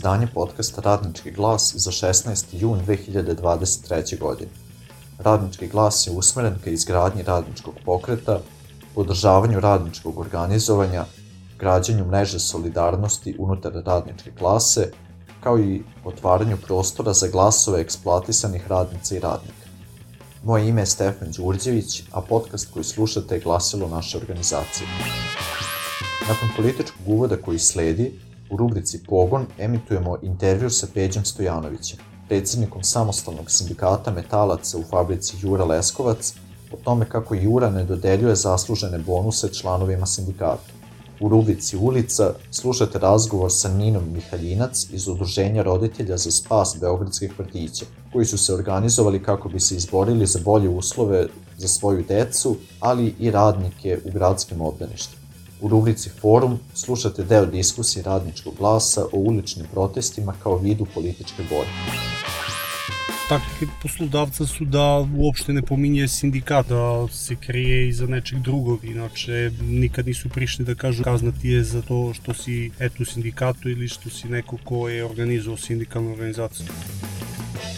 izdanje podcasta Radnički glas za 16. jun 2023. godine. Radnički glas je usmeren ka izgradnji radničkog pokreta, podržavanju radničkog organizovanja, građenju mreže solidarnosti unutar radničke klase, kao i otvaranju prostora za glasove eksploatisanih radnica i radnika. Moje ime je Stefan Đurđević, a podcast koji slušate je glasilo naše organizacije. Nakon političkog uvoda koji sledi, u rubrici Pogon emitujemo intervju sa Peđom Stojanovićem, predsjednikom samostalnog sindikata metalaca u fabrici Jura Leskovac, o tome kako Jura ne dodeljuje zaslužene bonuse članovima sindikata. U rubrici Ulica slušate razgovor sa Ninom Mihaljinac iz Udruženja roditelja za spas beogradskih vrtića, koji su se organizovali kako bi se izborili za bolje uslove za svoju decu, ali i radnike u gradskim obdaništima. U rubrici Forum slušate deo diskusije Radničkog glasa o uličnim protestima kao vidu političke borbe. Taktike poslodavca su da uopšte ne pominje sindikat, da se krije iza nečeg drugog, inače nikad nisu prišli da kažu kazna ti je za to što si u sindikatu ili što si neko ko je organizovao sindikalnu organizaciju.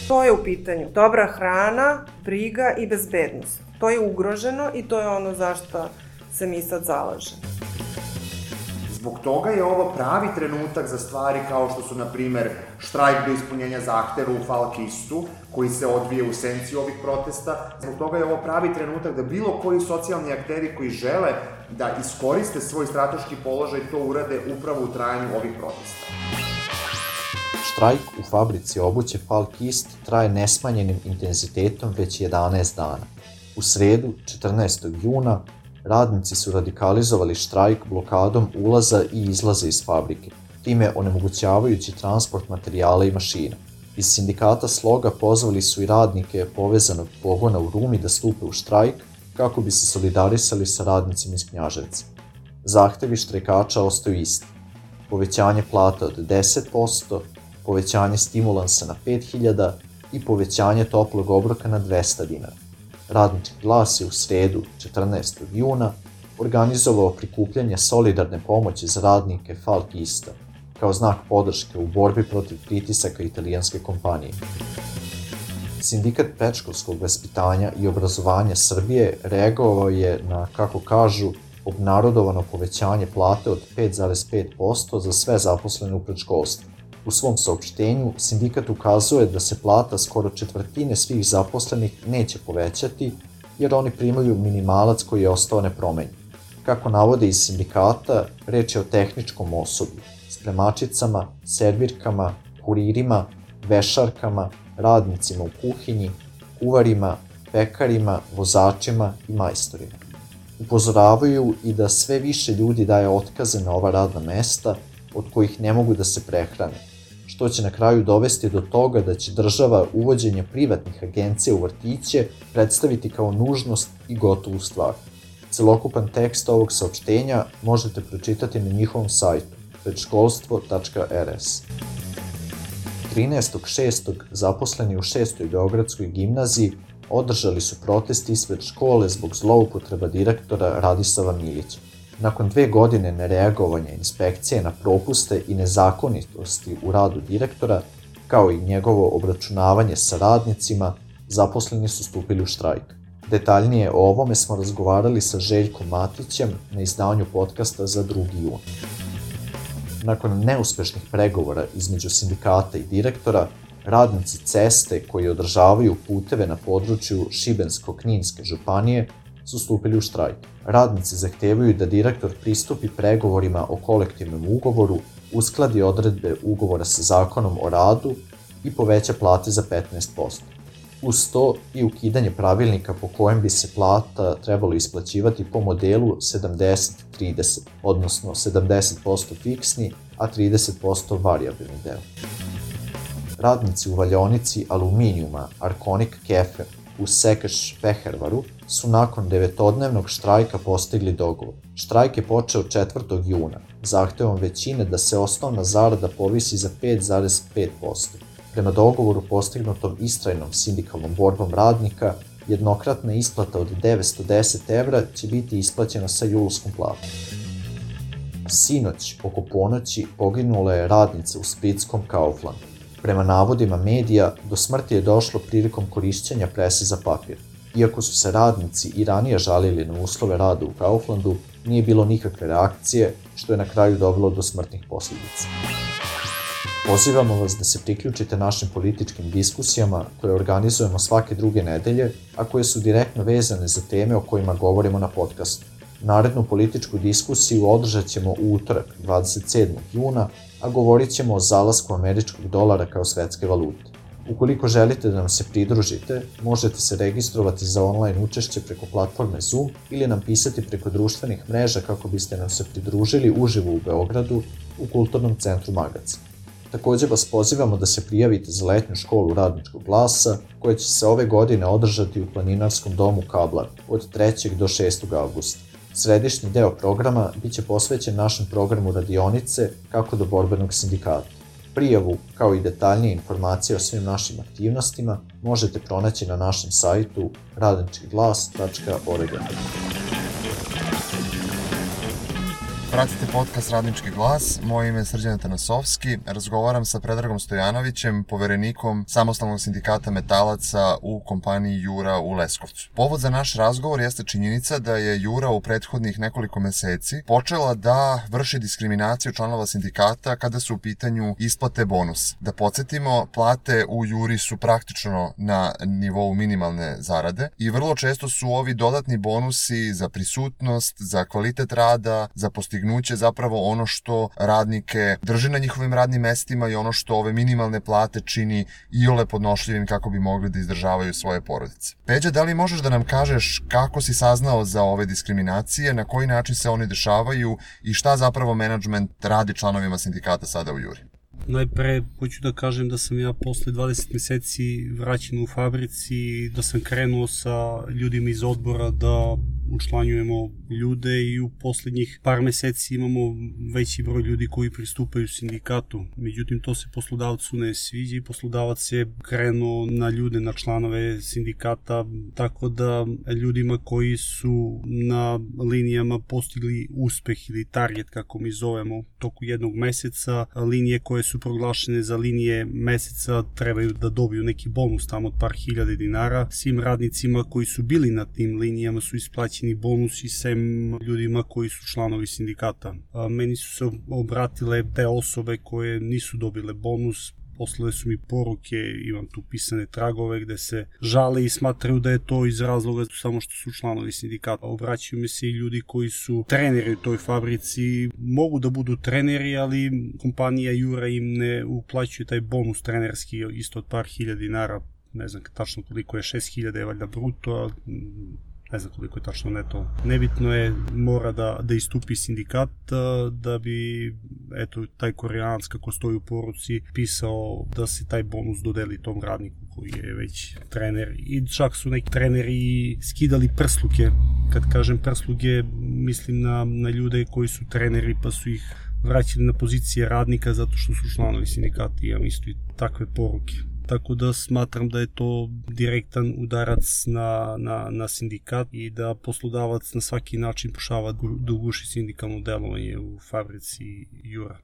To je u pitanju dobra hrana, briga i bezbednost. To je ugroženo i to je ono zašto se mi sad zalažemo. Zbog toga je ovo pravi trenutak za stvari kao što su, na primer, štrajk do ispunjenja zahteva u Falkistu, koji se odvije u senci ovih protesta. Zbog toga je ovo pravi trenutak da bilo koji socijalni akteri koji žele da iskoriste svoj strateški položaj to urade upravo u trajanju ovih protesta. Štrajk u fabrici obuće Falkist traje nesmanjenim intenzitetom već 11 dana. U sredu, 14. juna, radnici su radikalizovali štrajk blokadom ulaza i izlaza iz fabrike, time onemogućavajući transport materijala i mašina. Iz sindikata Sloga pozvali su i radnike povezanog pogona u Rumi da stupe u štrajk kako bi se solidarisali sa radnicima iz Knjaževca. Zahtevi štrajkača ostaju isti: povećanje plata od 10%, povećanje stimulansa na 5.000 i povećanje toplog obroka na 200 dinara. Radnički glas je u sredu, 14. juna, organizovao prikupljanje solidarne pomoći za radnike Falkista, kao znak podrške u borbi protiv pritisaka italijanske kompanije. Sindikat predškolskog vaspitanja i obrazovanja Srbije reagovao je na, kako kažu, obnarodovano povećanje plate od 5,5% za sve zaposlene u predškolstvu. U svom saopštenju, sindikat ukazuje da se plata skoro četvrtine svih zaposlenih neće povećati, jer oni primaju minimalac koji je ostao nepromenjen. Kako navode iz sindikata, reč je o tehničkom osoblju, spremačicama, servirkama, kuririma, vešarkama, radnicima u kuhinji, kuvarima, pekarima, vozačima i majstorima. Upozoravaju i da sve više ljudi daje otkaze na ova radna mesta, od kojih ne mogu da se prehrane, što će na kraju dovesti do toga da će država uvođenje privatnih agencija u vrtiće predstaviti kao nužnost i gotovu stvar. Celokupan tekst ovog saopštenja možete pročitati na njihovom sajtu predškolstvo.rs. 13.6. zaposleni u 6. Beogradskoj gimnaziji održali su protest ispred škole zbog zloupotreba direktora Radisava Milića. Nakon 2 godine nereagovanja inspekcije na propuste i nezakonitosti u radu direktora, kao i njegovo obračunavanje sa radnicima, zaposleni su stupili u štrajk. Detaljnije o ovome smo razgovarali sa Željkom Matićem na izdanju podcasta za 2. jun. Nakon neuspešnih pregovora između sindikata i direktora, radnici ceste koji održavaju puteve na području Šibensko-Kninske županije su stupili u štrajk. Radnici zahtevaju da direktor pristupi pregovorima o kolektivnom ugovoru, uskladi odredbe ugovora sa zakonom o radu i poveća plate za 15%. Uz to i ukidanje pravilnika po kojem bi se plata trebalo isplaćivati po modelu 70-30, odnosno 70% fiksni, a 30% varijabilni deo. Radnici u valjaonici aluminijuma Arkonik Kefe u Sekeš Pehervaru su nakon 9-dnevnog štrajka postigli dogovor. Štrajk je počeo 4. juna, zahtevom većine da se osnovna zarada povisi za 5,5%. Prema dogovoru postignutom istrajnom sindikalnom borbom radnika, jednokratna isplata od 910 evra će biti isplaćena sa julskom platom. Sinoć, oko ponoći, poginula je radnica u splitskom Kauflandu. Prema navodima medija, do smrti je došlo prilikom korišćenja prese za papir. Iako su se radnici i ranije žalili na uslove rada u Kauflandu, nije bilo nikakve reakcije, što je na kraju dovelo do smrtnih posljedica. Pozivamo vas da se priključite našim političkim diskusijama koje organizujemo svake druge nedelje, a koje su direktno vezane za teme o kojima govorimo na podcastu. Narednu političku diskusiju održat ćemo u utorak, 27. juna, a govorit ćemo o zalasku američkog dolara kao svetske valute. Ukoliko želite da nam se pridružite, možete se registrovati za online učešće preko platforme Zoom ili nam pisati preko društvenih mreža kako biste nam se pridružili uživo u Beogradu u Kulturnom centru Magac. Također vas pozivamo da se prijavite za letnju školu radničkog glasa, koja će se ove godine održati u planinarskom domu Kablar od 3. do 6. avgusta. Središnji deo programa biće posvećen našem programu radionice kako do borbenog sindikata. Prijavu, kao i detaljnije informacije o svim našim aktivnostima, možete pronaći na našem sajtu radničkiglas.org. Pratite podcast Radnički glas, moje ime je Srđan Atanasovski, razgovaram sa Predragom Stojanovićem, poverenikom Samostalnog sindikata metalaca u kompaniji Jura u Leskovcu. Povod za naš razgovor jeste činjenica da je Jura u prethodnih nekoliko meseci počela da vrši diskriminaciju članova sindikata kada su u pitanju isplate bonusa. Da podsjetimo, plate u Juri su praktično na nivou minimalne zarade i vrlo često su ovi dodatni bonusi za prisutnost, za kvalitet rada, za postignuće zapravo ono što radnike drži na njihovim radnim mestima i ono što ove minimalne plate čini iole podnošljivim kako bi mogli da izdržavaju svoje porodice. Peđa, da li možeš da nam kažeš kako si saznao za ove diskriminacije, na koji način se oni dešavaju i šta zapravo menadžment radi članovima sindikata sada u Juri? Najpre, hoću da kažem da sam ja posle 20 meseci vraćen u fabrici, da sam krenuo sa ljudima iz odbora da učlanjujemo ljude i u poslednjih par meseci imamo veći broj ljudi koji pristupaju sindikatu. Međutim, to se poslodavcu ne sviđa i poslodavac je krenuo na ljude, na članove sindikata, tako da ljudima koji su na linijama postigli uspeh ili target, kako mi zovemo, toku jednog meseca, linije koje su proglašene za linije meseca trebaju da dobiju neki bonus tamo od par hiljade dinara. Svim radnicima koji su bili na tim linijama su isplaćeni bonusi, sem ljudima koji su članovi sindikata. Meni su se obratile te osobe koje nisu dobile bonus, poslale su mi poruke, imam tu pisane tragove gde se žale i smatraju da je to iz razloga samo što su članovi sindikata. Obraćaju mi se i ljudi koji su treneri u toj fabrici, mogu da budu treneri, ali kompanija Jura im ne uplaćuje taj bonus trenerski isto od par hiljada dinara, ne znam tačno koliko je, 6.000 je valjda bruto, ne znam koliko je tačno neto. Nebitno je, mora da istupi sindikat da bi, eto, taj Koreanac kako stoji u poruci pisao da se taj bonus dodeli tom radniku koji je već trener. I čak su neki treneri skidali prsluke. Kad kažem prsluke, mislim na ljude koji su treneri pa su ih vraćali na pozicije radnika zato što su članovi sindikata. Imam isto i takve poruke. Tako da smatram da je to direktan udarac na sindikat i da poslodavac na svaki način pokušava da uguši sindikalno delovanje u fabrici Jura.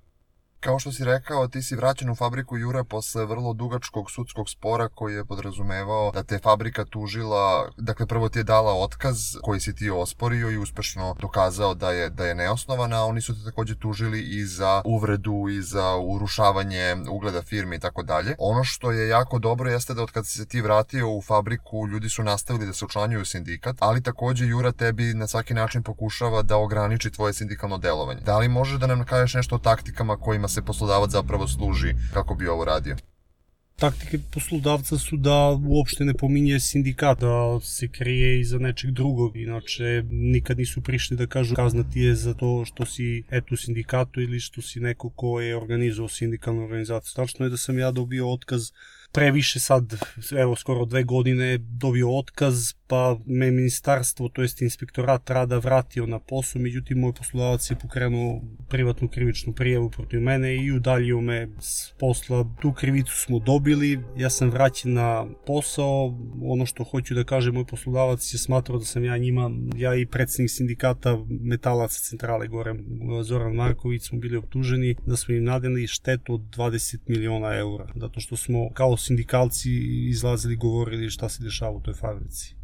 Kao što si rekao, ti si vraćen u fabriku Jura posle vrlo dugačkog sudskog spora koji je podrazumevao da te fabrika tužila, dakle prvo ti je dala otkaz koji si ti osporio i uspešno dokazao da je neosnovan, a oni su te takođe tužili i za uvredu i za urušavanje ugleda firme i tako dalje. Ono što je jako dobro jeste da od kad si se ti vratio u fabriku, ljudi su nastavili da se učlanjuju u sindikat, ali takođe Jura tebi na svaki način pokušava da ograniči tvoje sindikalno delovanje. Da li možeš da nam kažeš nešto o taktikama kojima se poslodavac zapravo služi kako bi ovo radio? Taktike poslodavca su da uopšte ne pominje sindikat, da se krije iza nečeg drugog. Inače, nikad nisu prišli da kažu kazna ti je za to što si u sindikatu ili što si neko ko je organizovao sindikalnu organizaciju. Tačno je da sam ja dobio otkaz previše sad, evo skoro 2 godine dobio otkaz, pa me ministarstvo, to jest inspektorat rada vratio na posao, međutim moj poslodavac je pokrenuo privatnu krivičnu prijavu protiv mene i udaljio me s posla. Tu krivicu smo dobili, ja sam vraćen na posao. Ono što hoću da kažem, moj poslodavac je smatrao da sam ja i predsjednik sindikata metalaca centrale gore, Zoran Marković, smo bili optuženi da smo im nadeli štetu od 20 miliona eura, zato što smo kao sindikalci izlazili, govorili šta se dešava u toj fabrici.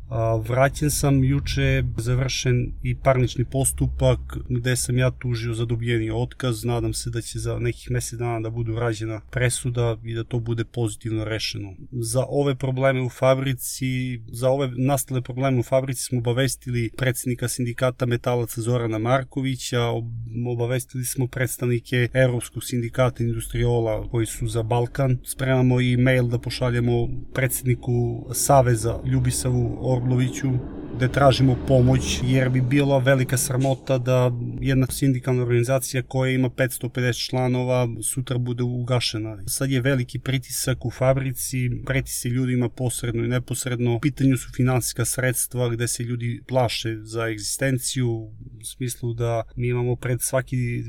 Vraćen sam, juče završen i parnični postupak gde sam ja tužio za dobijeni otkaz. Nadam se da će za nekih mjesec dana da bude urađena presuda i da to bude pozitivno rešeno. Za ove probleme u fabrici, za ove nastale probleme u fabrici smo obavestili predsjednika sindikata metalaca Zorana Markovića, obavestili smo predstavnike Evropskog sindikata industriola koji su za Balkan. Spremamo i mail da pošaljemo predsjedniku Saveza Ljubisavu Orloviću gde tražimo pomoć, jer bi bila velika sramota da jedna sindikalna organizacija koja ima 550 članova sutra bude ugašena. Sad je veliki pritisak u fabrici, preti se ljudima posredno i neposredno. U pitanju su finansijska sredstva gde se ljudi plaše za egzistenciju, u smislu da mi imamo pred svaki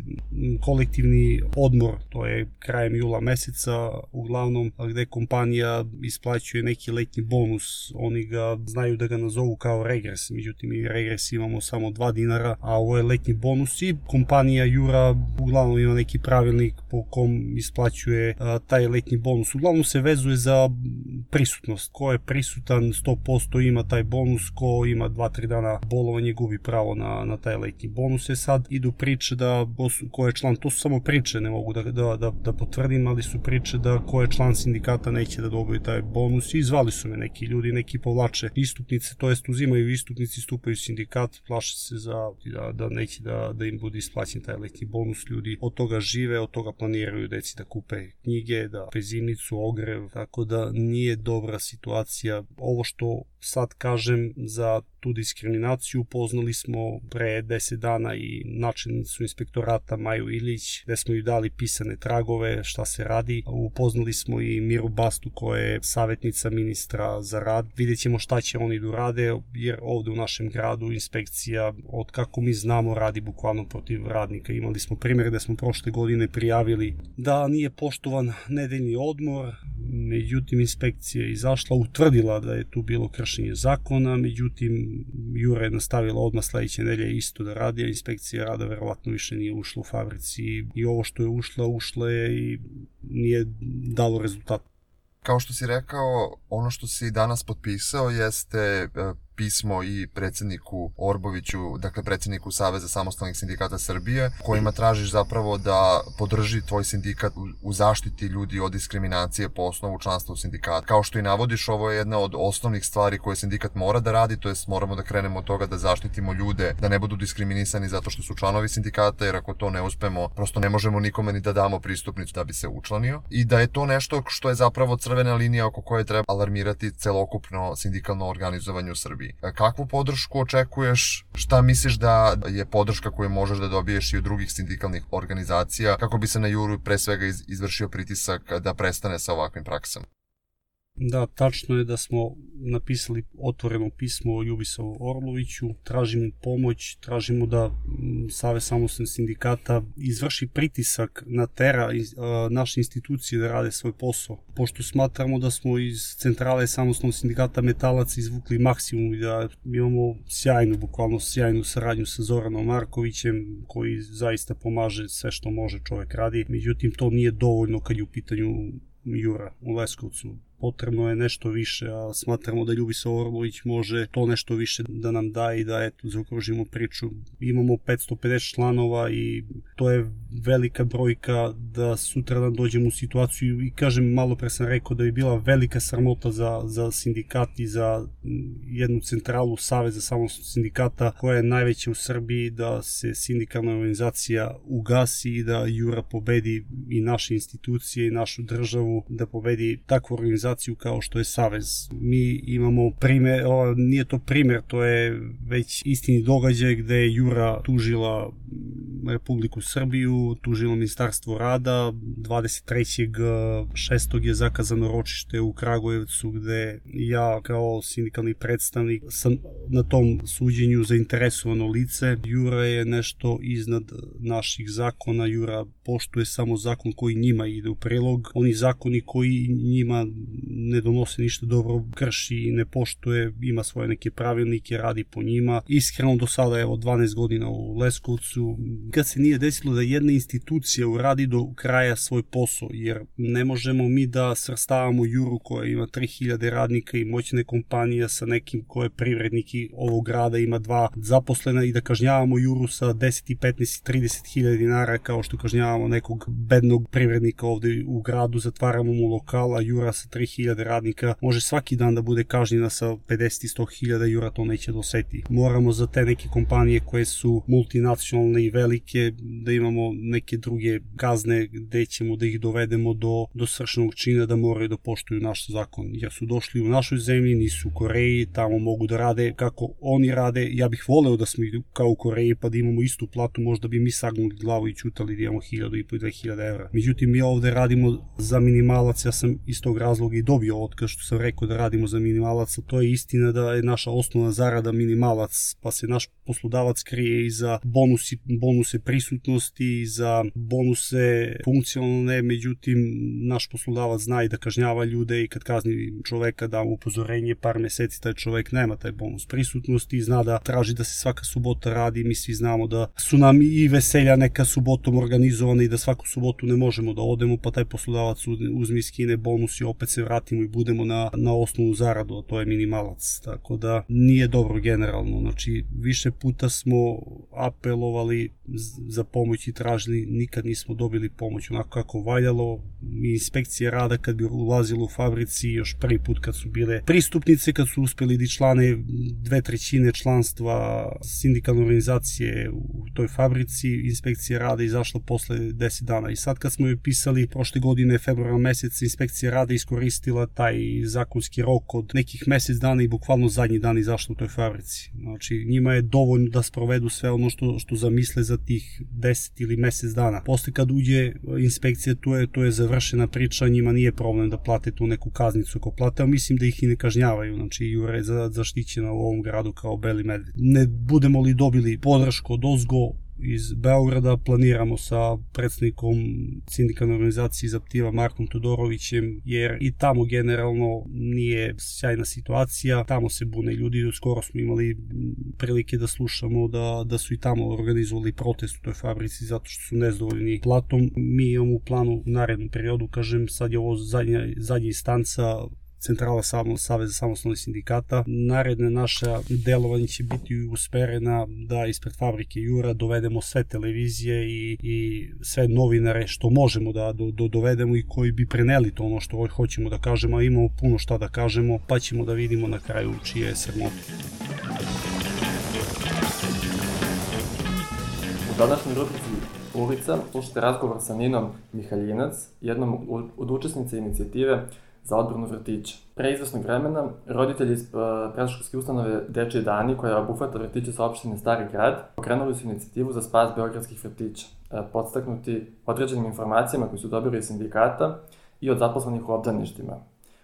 kolektivni odmor, to je krajem jula meseca uglavnom, gde kompanija isplaćuje neki letnji bonus. Oni ga znaju da ga nazovu kao regres, međutim i regres imamo samo 2 dinara, a ovo je letnji bonus i kompanija Jura uglavnom ima neki pravilnik po kom isplaćuje taj letnji bonus. Uglavnom se vezuje za prisutnost. Ko je prisutan 100% ima taj bonus, ko ima 2-3 dana bolovanje gubi pravo na taj letnji bonus. Sad idu priče da ko je član, to su samo priče, ne mogu da potvrdim, ali su priče da ko je član sindikata neće da dobije taj bonus i zvali su me neki ljudi, neki povlače istupnice, to jest uzimaju istupnici, stupaju u sindikat, plaše se da neće da im bude isplaćen taj letnji bonus. Ljudi od toga žive, od toga planiraju deci da kupe knjige, da kupe zimnicu, ogrev, tako da nije dobra situacija. Ovo što sad kažem za tu diskriminaciju upoznali smo pre 10 dana i načelnicu inspektorata Maju Ilić, gde smo ju dali pisane tragove šta se radi. Upoznali smo i Miru Bastu koja je savjetnica ministra za rad. Vidjet ćemo šta će oni da rade, jer ovde u našem gradu inspekcija, od kako mi znamo, radi bukvalno protiv radnika. Imali smo primjer da smo prošle godine prijavili da nije poštovan nedeljni odmor, međutim inspekcija je izašla, utvrdila da je tu bilo kršenje zakona, međutim Jura je nastavila odmah sledeće nedelje isto da radi, a inspekcija rada verovatno više nije ušla u fabrici i ovo što je ušla je i nije dalo rezultat. Kao što si rekao, ono što si danas potpisao jeste pismo i predsjedniku Orboviću, dakle predsjedniku Saveza samostalnih sindikata Srbije, kojima tražiš zapravo da podrži tvoj sindikat u zaštiti ljudi od diskriminacije po osnovu članstva u sindikatu. Kao što i navodiš, ovo je jedna od osnovnih stvari koje sindikat mora da radi, to jest moramo da krenemo od toga da zaštitimo ljude, da ne budu diskriminisani zato što su članovi sindikata, jer ako to ne uspemo, prosto ne možemo nikome ni da damo pristupnicu da bi se učlanio. I da je to nešto što je zapravo crvena linija oko koje treba alarmirati celokupno sindikalno organizovanje u Srbiji. Kakvu podršku očekuješ? Šta misliš da je podrška koju možeš da dobiješ i od drugih sindikalnih organizacija kako bi se na Juru pre svega izvršio pritisak da prestane sa ovakvim praksama? Da, tačno je da smo napisali otvoreno pismo Ljubisavu Orloviću, tražimo pomoć, tražimo da Savez samostalnih sindikata izvrši pritisak na tera naše institucije da rade svoj posao. Pošto smatramo da smo iz centrale samostalnog sindikata metalaca izvukli maksimum i da imamo bukvalno sjajnu saradnju sa Zoranom Markovićem, koji zaista pomaže sve što može čovjek radi. Međutim, to nije dovoljno kad je u pitanju Jura u Leskovcu. Potrebno je nešto više, a smatramo da Ljubisav Orlović može to nešto više da nam da i da zaokružimo priču. Imamo 550 članova i to je velika brojka da sutradan dođemo u situaciju i kažem, malo pre sam rekao da bi bila velika sramota za sindikat i za jednu centralu Saveza samostalnih sindikata koja je najveća u Srbiji, da se sindikalna organizacija ugasi i da Jura pobedi i naše institucije i našu državu, da pobedi takvu organizaciju kao što je Savez. Mi imamo primjer, nije to primjer, to je već istini događaj gde je Jura tužila Republiku Srbiju, tužilo Ministarstvo rada. 23.6. je zakazano ročište u Kragujevcu, gde ja kao sindikalni predstavnik sam na tom suđenju zainteresovano lice. Jura je nešto iznad naših zakona. Jura poštuje samo zakon koji njima ide u prilog. Oni zakoni koji njima ne donose ništa dobro, krši i ne poštuje, ima svoje neke pravilnike, radi po njima. Iskreno do sada, evo, 12 godina u Leskovcu, kad se nije desilo da jedna institucija uradi do kraja svoj posao, jer ne možemo mi da svrstavamo Juru koja ima 3000 radnika i moćne kompanija sa nekim ko je privrednik i ovog grada ima 2 zaposlena i da kažnjavamo Juru sa 10, 15 i 30.000 dinara kao što kažnjavamo nekog bednog privrednika ovde u gradu, zatvaramo mu lokal, a Jura sa 3000 radnika može svaki dan da bude kažnjena sa 50 i 100.000, Jura to neće doseti. Moramo za te neke kompanije koje su multinacionalne i velike da imamo neke druge kazne gde ćemo da ih dovedemo do svršenog čina da moraju da poštuju naš zakon, jer su došli u našoj zemlji, nisu u Koreji, tamo mogu da rade kako oni rade. Ja bih voleo da smo kao u Koreji pa da imamo istu platu, možda bi mi sagnuli glavu i ćutali da imamo 1.500 i 2.000 evra. Međutim, mi ovde radimo za minimalac, ja sam iz tog razloga i dobio otkaz što sam rekao da radimo za minimalac, a to je istina da je naša osnovna zarada minimalac, pa se naš poslodavac krije i za bonuse prisutnosti, i za bonuse funkcionalne, međutim, naš poslodavac zna i da kažnjava ljude i kad kazni čoveka da mu upozorenje par meseci taj čovek nema taj bonus prisutnosti i zna da traži da se svaka subota radi. Mi svi znamo da su nam i veselja neka subotom organizovane i da svaku subotu ne možemo da odemo, pa taj poslodavac uzme i skine bonus i opet se vratimo i budemo na osnovu zaradu, a to je minimalac. Tako da nije dobro generalno. Znači, više puta smo apelovali za pomoć i tražili, nikad nismo dobili pomoć onako kako valjalo. Inspekcije rada kad bi ulazilo u fabrici, još prvi put kad su bile pristupnice, kad su uspeli da člane 2/3 članstva sindikalne organizacije u toj fabrici, inspekcija rada izašla posle 10 dana. I sad kad smo joj pisali prošle godine, februara mesec, inspekcija rada iskoristila taj zakonski rok od nekih mesec dana i bukvalno zadnji dan izašla u toj fabrici. Znači, njima je dovoljno da sprovedu sve ono što zamisle za tih 10 ili mesec dana. Posle kad uđe inspekcija, to je završena priča, njima nije problem da plate tu neku kaznicu ako plate, a mislim da ih i ne kažnjavaju. Znači, Jura je zaštićena u ovom gradu kao beli medved. Ne budemo li dobili podršku od ozgo iz Beograda, planiramo sa predsednikom sindikalne organizacije Zaptiva Markom Todorovićem, jer i tamo generalno nije sjajna situacija, tamo se bune ljudi. Skoro smo imali prilike da slušamo da su i tamo organizovali protest u toj fabrici zato što su nezadovoljni platom. Mi imamo u planu u narednom periodu, kažem, sad je ovo zadnja instanca Centrala Saveza samostalnih sindikata. Naredne naše delovanje će biti usmerena da ispred fabrike Jura dovedemo sve televizije i sve novinare što možemo da dovedemo i koji bi preneli to ono što hoćemo da kažemo, a imamo puno šta da kažemo, pa ćemo da vidimo na kraju čije je sramote. U današnjoj rubrici Ulica slušate razgovor sa Ninom Mihaljinac, jednom od učesnica inicijative za odbranu vrtića. Pre izvesnog vremena, roditelji iz predškolske ustanove Dečiji dani, koja obuhvata vrtiće sa opštine Stari grad, pokrenuli su inicijativu za spas beogradskih vrtića, podstaknuti određenim informacijama koje su dobili iz sindikata i od zaposlenih u obdaništima.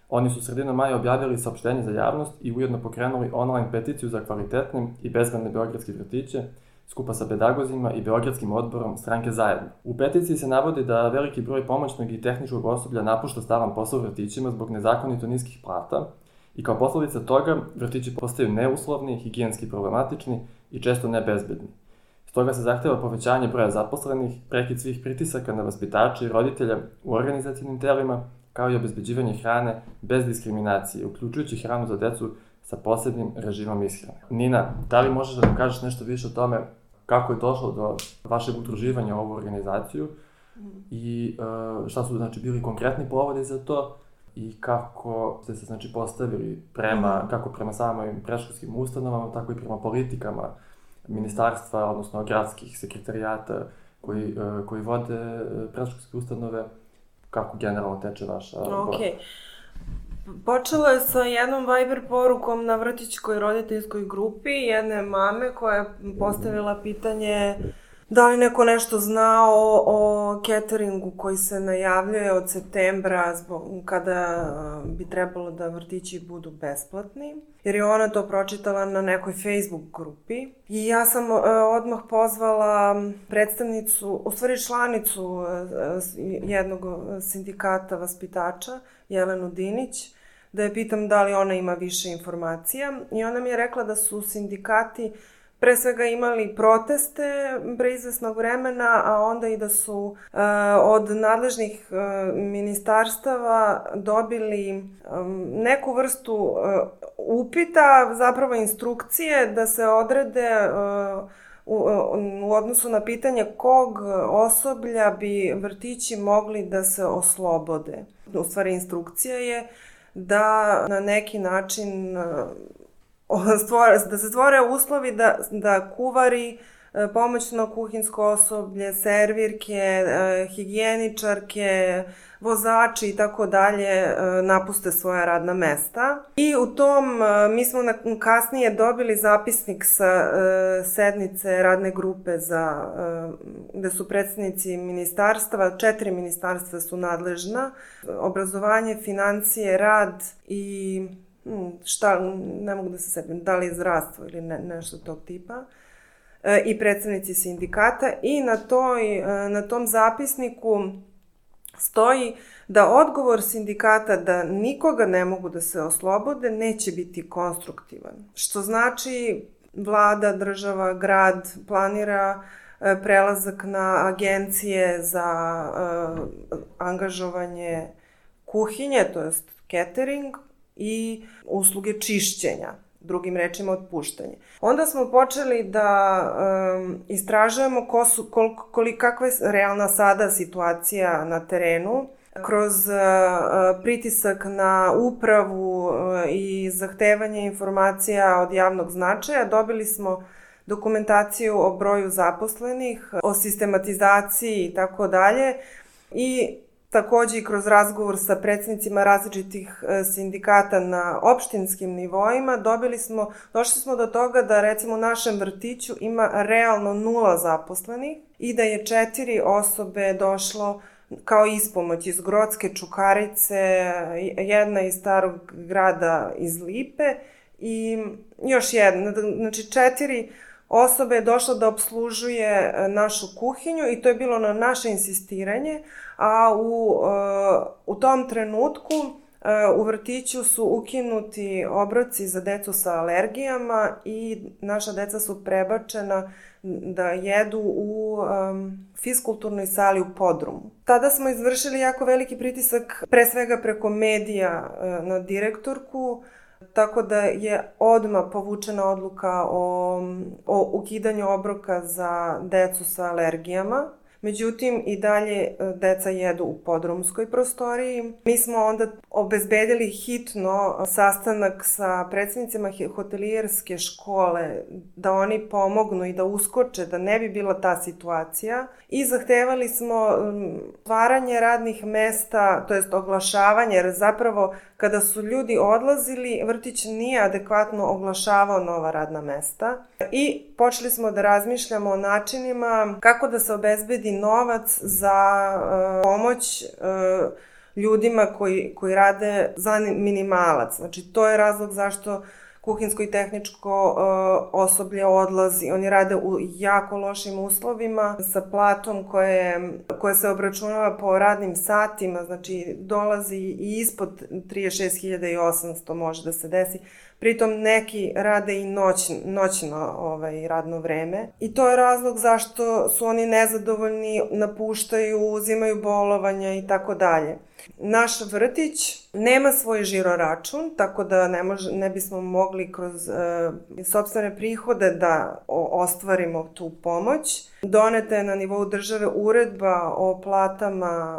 Oni su sredinom maja objavili saopštenje za javnost i ujedno pokrenuli online peticiju za kvalitetne i bezbedne beogradske vrtiće, skupa sa pedagozima i Beogradskim odborom stranke Zajedno. U peticiji se navodi da veliki broj pomoćnog i tehničkog osoblja napušta stalan posao u vrtićima zbog nezakonito niskih plata i kao posledica toga vrtići postaju neuslovni, higijenski problematični i često nebezbedni. Stoga se zahteva povećanje broja zaposlenih, prekid svih pritisaka na vaspitače i roditelja u organizacijnim telima, kao i obezbeđivanje hrane bez diskriminacije, uključujući hranu za decu sa posebnim režimom ishrane. Nina, da li možeš da nam kažeš nešto više o tome kako je došlo do vašeg udruživanja u ovu organizaciju i šta su bili konkretni povodi za to i kako ste se postavili kako prema samim predškolskim ustanovama, tako i prema politikama ministarstva, odnosno gradskih sekreterijata koji vode predškolske ustanove, kako generalno teče vaša borba? Počelo je sa jednom Viber porukom na vrtićkoj roditeljskoj grupi jedne mame koja je postavila pitanje Da li neko nešto zna o cateringu koji se najavljuje od septembra kada bi trebalo da vrtići budu besplatni? Jer je ona to pročitala na nekoj Facebook grupi. I ja sam odmah pozvala predstavnicu, u stvari članicu jednog sindikata vaspitača, Jelenu Dinić, da je pitam da li ona ima više informacija. I ona mi je rekla da su sindikati pre svega imali proteste pre izvesnog vremena, a onda i da su od nadležnih ministarstava dobili neku vrstu upita, zapravo instrukcije da se odrede u odnosu na pitanje kog osoblja bi vrtići mogli da se oslobode. U stvari instrukcija je da na neki način da se stvore uslovi da kuvari, pomoćno kuhinsko osoblje, servirke, higijeničarke, vozači i tako dalje napuste svoja radna mesta. I u tom, mi smo kasnije dobili zapisnik sa sednice radne grupe gde su predstavnici ministarstava, 4 ministarstva su nadležna, obrazovanje, financije, rad i ne mogu da se setim, da li je zdravstvo ili nešto tog tipa, i predstavnici sindikata, i na tom zapisniku stoji da odgovor sindikata da nikoga ne mogu da se oslobode neće biti konstruktivan. Što znači vlada, država, grad planira prelazak na agencije za angažovanje kuhinje, to jest catering, i usluge čišćenja, drugim rečima otpuštanje. Onda smo počeli da istražujemo kakva je realna sada situacija na terenu. Kroz pritisak na upravu i zahtevanje informacija od javnog značaja dobili smo dokumentaciju o broju zaposlenih, o sistematizaciji i tako dalje, i takođe i kroz razgovor sa predsednicima različitih sindikata na opštinskim nivoima došli smo do toga da recimo u našem vrtiću ima realno 0 zaposlenih i da je 4 osobe došlo kao ispomoć iz Grocke, Čukarice, jedna iz Starog Grada iz Lipe i još jedna. Znači 4 osobe je došlo da obslužuje našu kuhinju i to je bilo na naše insistiranje, a u tom trenutku u vrtiću su ukinuti obroci za decu sa alergijama i naša deca su prebačena da jedu u fiskulturnoj sali u podrumu. Tada smo izvršili jako veliki pritisak, pre svega preko medija, na direktorku, tako da je odmah povučena odluka o ukidanju obroka za decu sa alergijama. Međutim, i dalje deca jedu u podrumskoj prostoriji. Mi smo onda obezbedili hitno sastanak sa predstavnicima hotelijerske škole da oni pomognu i da uskoče, da ne bi bila ta situacija. I zahtevali smo stvaranje radnih mesta, to jest oglašavanje, jer zapravo kada su ljudi odlazili, vrtić nije adekvatno oglašavao nova radna mesta. I počeli smo da razmišljamo o načinima kako da se obezbedi novac za pomoć ljudima koji rade za minimalac. Znači, to je razlog zašto kuhinsko i tehničko osoblje odlazi. Oni rade u jako lošim uslovima sa platom koja se obračunava po radnim satima, znači dolazi i ispod 36.800 može da se desi. Pritom neki rade i noćno radno vreme. I to je razlog zašto su oni nezadovoljni, napuštaju, uzimaju bolovanja i tako dalje. Naš vrtić nema svoj žiroračun, tako da ne bismo mogli kroz sopstvene prihode da ostvarimo tu pomoć. Doneta je na nivou države uredba o platama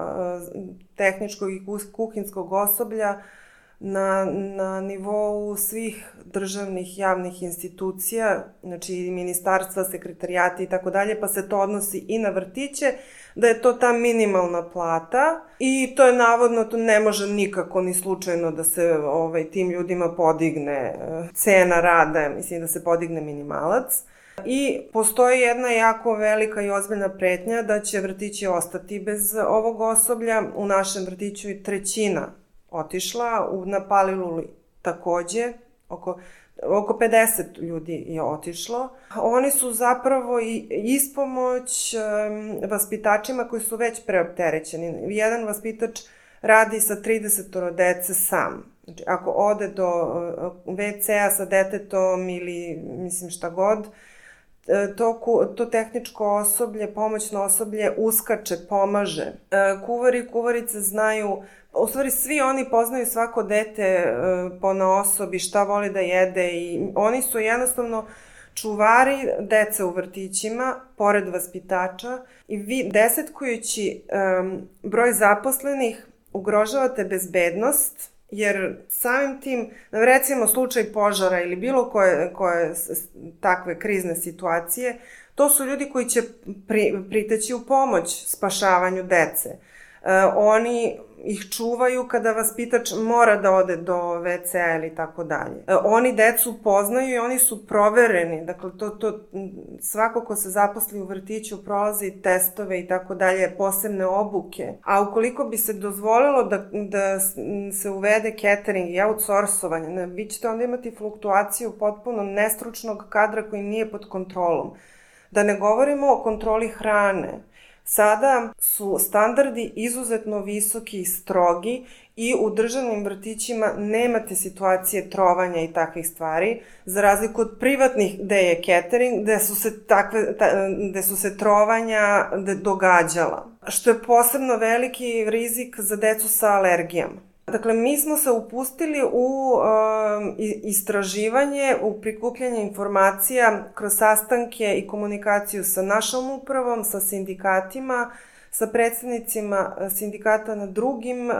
tehničkog i kuhinskog osoblja na nivou svih državnih javnih institucija, znači ministarstva, sekretarijati i tako dalje, pa se to odnosi i na vrtiće, da je to ta minimalna plata i to je navodno, to ne može nikako ni slučajno da se tim ljudima podigne cena rada, mislim da se podigne minimalac. I postoji jedna jako velika i ozbiljna pretnja da će vrtići ostati bez ovog osoblja. U našem vrtiću je 1/3 otišla, na Paliluli takođe, oko 50 ljudi je otišlo. Oni su zapravo i ispomoć vaspitačima koji su već preopterećeni. Jedan vaspitač radi sa 30 dece sam. Znači, ako ode do WC-a sa detetom ili mislim šta god, to tehničko osoblje, pomoćno osoblje uskače, pomaže. Kuvari i kuvarice znaju, u stvari svi oni poznaju svako dete ponaosob i šta voli da jede i oni su jednostavno čuvari dece u vrtićima, pored vaspitača, i vi desetkujući broj zaposlenih ugrožavate bezbednost, jer samim tim, recimo slučaj požara ili bilo koje takve krizne situacije, to su ljudi koji će priteći u pomoć spašavanju dece. Oni ih čuvaju kada vaspitač mora da ode do WC-a ili tako dalje. Oni decu poznaju i oni su provereni. Dakle, svako ko se zaposli u vrtiću prolazi testove i tako dalje, posebne obuke. A ukoliko bi se dozvolilo da se uvede catering i outsourcovanje, vi ćete onda imati fluktuaciju potpuno nestručnog kadra koji nije pod kontrolom. Da ne govorimo o kontroli hrane. Sada su standardi izuzetno visoki i strogi i u državnim vrtićima nemate situacije trovanja i takvih stvari, za razliku od privatnih gde je catering, gde su se trovanja događala. Što je posebno veliki rizik za decu sa alergijama. Dakle, mi smo se upustili u istraživanje, u prikupljanje informacija kroz sastanke i komunikaciju sa našom upravom, sa sindikatima, sa predstavnicima sindikata na drugim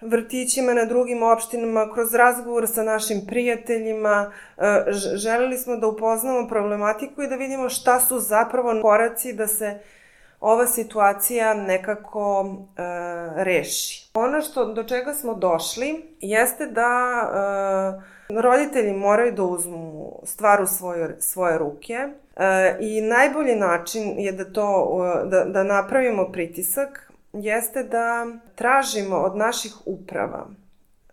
vrtićima, na drugim opštinama, kroz razgovor sa našim prijateljima. Želeli smo da upoznamo problematiku i da vidimo šta su zapravo koraci da se ova situacija nekako reši. Ono do čega smo došli jeste da roditelji moraju da uzmu stvar u svoje ruke i najbolji način je da napravimo pritisak jeste da tražimo od naših uprava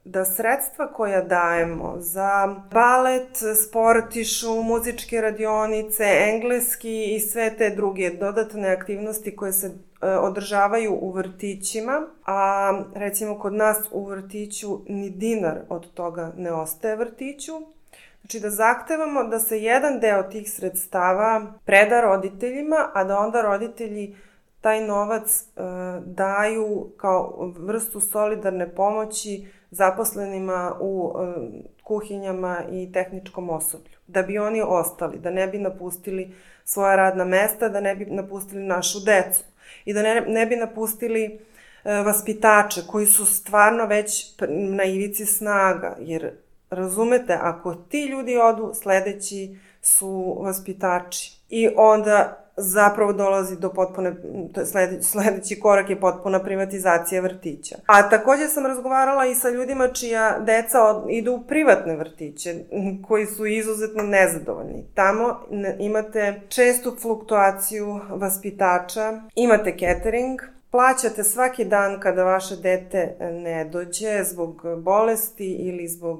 da sredstva koja dajemo za balet, sportišu, muzičke radionice, engleski i sve te druge dodatne aktivnosti koje se održavaju u vrtićima, a recimo kod nas u vrtiću ni dinar od toga ne ostaje vrtiću. Znači da zahtevamo da se jedan deo tih sredstava preda roditeljima, a da onda roditelji taj novac daju kao vrstu solidarne pomoći zaposlenima u kuhinjama i tehničkom osoblju. Da bi oni ostali, da ne bi napustili svoja radna mesta, da ne bi napustili našu decu i da ne bi napustili vaspitače koji su stvarno već na ivici snaga. Jer, razumete, ako ti ljudi odu, sledeći su vaspitači. I onda zapravo dolazi do sledeći korak je potpuna privatizacija vrtića. A takođe sam razgovarala i sa ljudima čija deca idu u privatne vrtiće, koji su izuzetno nezadovoljni. Tamo imate čestu fluktuaciju vaspitača, imate catering, plaćate svaki dan kada vaše dete ne dođe zbog bolesti ili zbog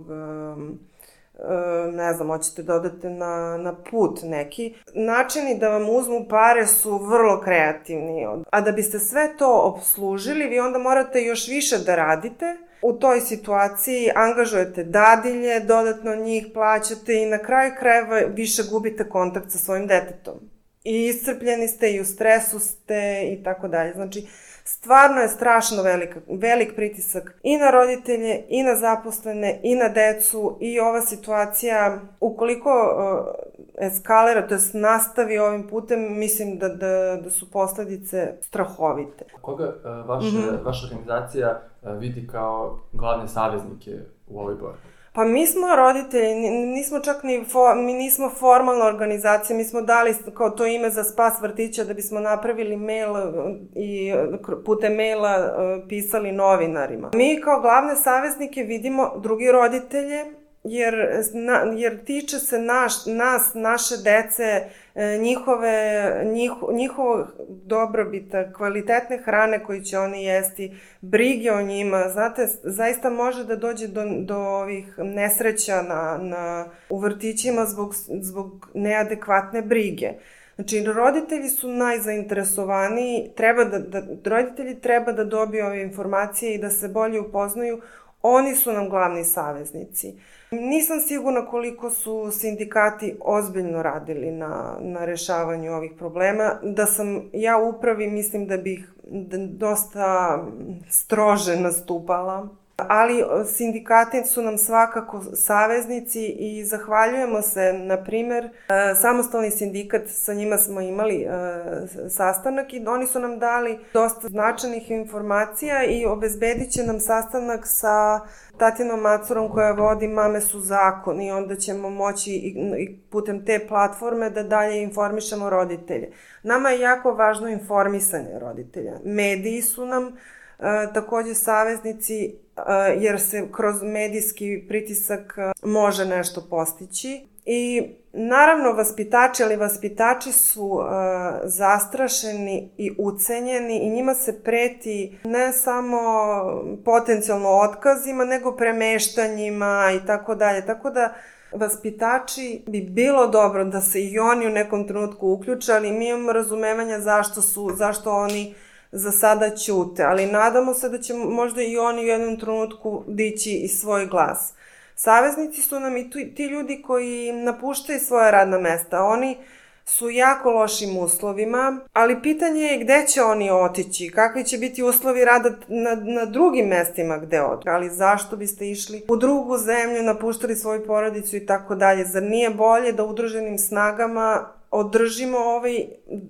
ne znam, hoćete da odete na put neki. Načini da vam uzmu pare su vrlo kreativni. A da biste sve to obslužili, vi onda morate još više da radite. U toj situaciji angažujete dadilje, dodatno njih plaćate i na kraju krajeva više gubite kontakt sa svojim detetom. I iscrpljeni ste i u stresu ste i tako dalje. Znači, stvarno je strašno velik pritisak i na roditelje, i na zaposlene, i na decu i ova situacija, ukoliko eskalira, to jest nastavi ovim putem, mislim da su posledice strahovite. Koga vaša organizacija vidi kao glavne saveznike u ovoj borbi? Pa mi smo roditelji, mi nismo formalna organizacija, mi smo dali kao to ime za spas vrtića da bismo napravili mail i putem maila pisali novinarima. Mi kao glavne saveznike vidimo drugi roditelje jer tiče se nas, naše dece, njihovog dobrobita, kvalitetne hrane koju će oni jesti, brige o njima. Znate, zaista može da dođe do ovih nesreća u vrtićima zbog neadekvatne brige. Znači, roditelji su najzainteresovaniji, roditelji treba da dobiju ove informacije i da se bolje upoznaju. Oni su nam glavni saveznici. Nisam sigurna koliko su sindikati ozbiljno radili na rešavanju ovih problema. Da sam ja u upravi, mislim da bih dosta strože nastupala. Ali sindikati su nam svakako saveznici i zahvaljujemo se, na primer, samostalni sindikat, sa njima smo imali sastanak i oni su nam dali dosta značajnih informacija i obezbedit će nam sastanak sa Tatjanom Macurom koja vodi Mame su zakon i onda ćemo moći i putem te platforme da dalje informišemo roditelje. Nama je jako važno informisanje roditelja. Mediji su nam takođe saveznici, jer se kroz medijski pritisak može nešto postići. I naravno vaspitači su zastrašeni i ucenjeni i njima se preti ne samo potencijalno otkazima, nego premeštanjima i tako dalje. Tako da vaspitači bi bilo dobro da se i oni u nekom trenutku uključe, ali mi imamo razumevanja zašto oni za sada ćute, ali nadamo se da će možda i oni u jednom trenutku dići i svoj glas. Saveznici su nam i ti ljudi koji napuštaju svoja radna mesta. Oni su u jako lošim uslovima, ali pitanje je gde će oni otići, kakvi će biti uslovi rada na drugim mestima gde odu. Ali zašto biste išli u drugu zemlju, napuštali svoju porodicu i tako dalje? Zar nije bolje da udruženim snagama održimo ovaj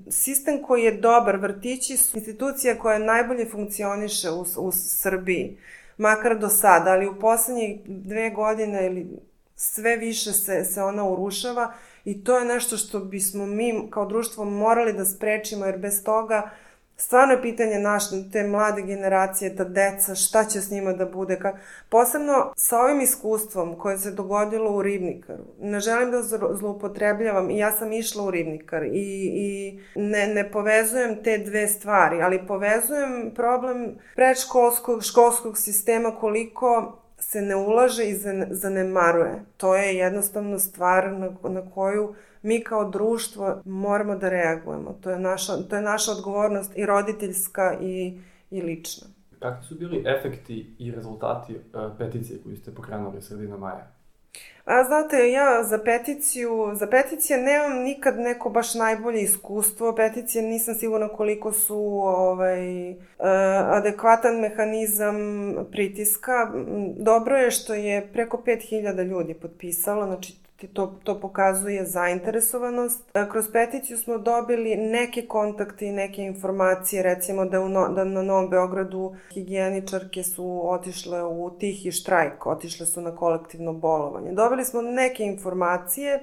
sistem koji je dobar? Vrtići su institucija koja najbolje funkcioniše u Srbiji, makar do sada, ali u poslednjih 2 godine ili sve više se ona urušava i to je nešto što bismo mi kao društvo morali da sprečimo, jer bez toga stvarno je pitanje te mlade generacije, ta deca, šta će s njima da bude. Posebno sa ovim iskustvom koje se dogodilo u Ribnikaru. Ne želim da zloupotrebljavam i ja sam išla u Ribnikar i ne povezujem te dve stvari, ali povezujem problem predškolskog, školskog sistema, koliko se ne ulaže i zanemaruje. To je jednostavno stvar na koju mi kao društvo moramo da reagujemo. To je naša odgovornost i roditeljska i lična. Kakvi su bili efekti i rezultati peticije koju ste pokrenuli sredinom maja? Znate, ja za peticije nemam nikad neko baš najbolje iskustvo. Peticije nisam sigurna koliko su adekvatan mehanizam pritiska. Dobro je što je preko 5000 ljudi potpisalo, znači to pokazuje zainteresovanost. Kroz peticiju smo dobili neke kontakte i neke informacije, recimo da na Novom Beogradu higijeničarke su otišle u tihi štrajk, otišle su na kolektivno bolovanje. Dobili smo neke informacije,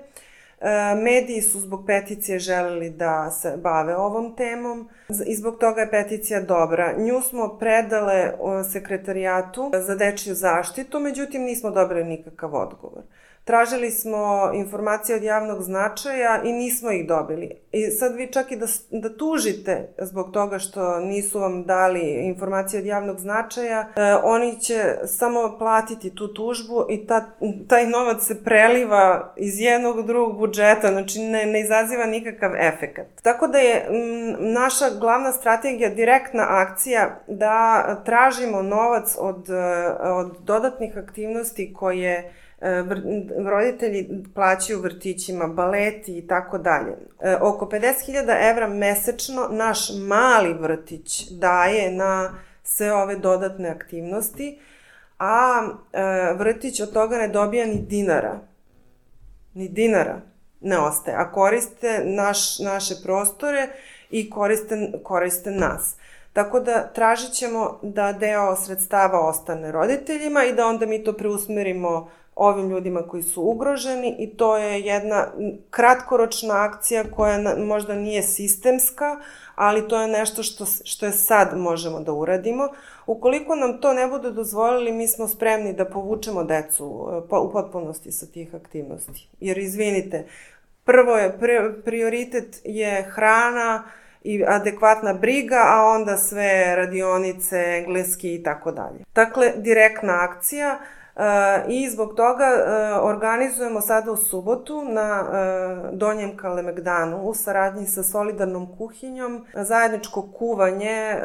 mediji su zbog peticije želeli da se bave ovom temom i zbog toga je peticija dobra. Nju smo predale Sekretarijatu za dečiju zaštitu, međutim nismo dobili nikakav odgovor. Tražili smo informacije od javnog značaja i nismo ih dobili. I sad vi čak i da tužite zbog toga što nisu vam dali informacije od javnog značaja, oni će samo platiti tu tužbu i taj novac se preliva iz jednog drugog budžeta, znači ne izaziva nikakav efekat. Tako da je naša glavna strategija direktna akcija da tražimo novac od dodatnih aktivnosti koje roditelji plaćaju vrtićima, baleti i tako dalje. Oko 50.000 evra mesečno naš mali vrtić daje na sve ove dodatne aktivnosti, a vrtić od toga ne dobija ni dinara. Ni dinara ne ostaje, a koriste naše prostore i koriste nas. Tako da tražit ćemo da deo sredstava ostane roditeljima i da onda mi to preusmerimo ovim ljudima koji su ugroženi i to je jedna kratkoročna akcija koja možda nije sistemska, ali to je nešto što je sad možemo da uradimo. Ukoliko nam to ne budu dozvolili, mi smo spremni da povučemo decu u potpunosti sa tih aktivnosti. Jer izvinite, prioritet je hrana i adekvatna briga, a onda sve radionice, engleski i tako dalje. Dakle, direktna akcija i zbog toga organizujemo sada u subotu na Donjem Kalemegdanu u saradnji sa Solidarnom kuhinjom zajedničko kuvanje.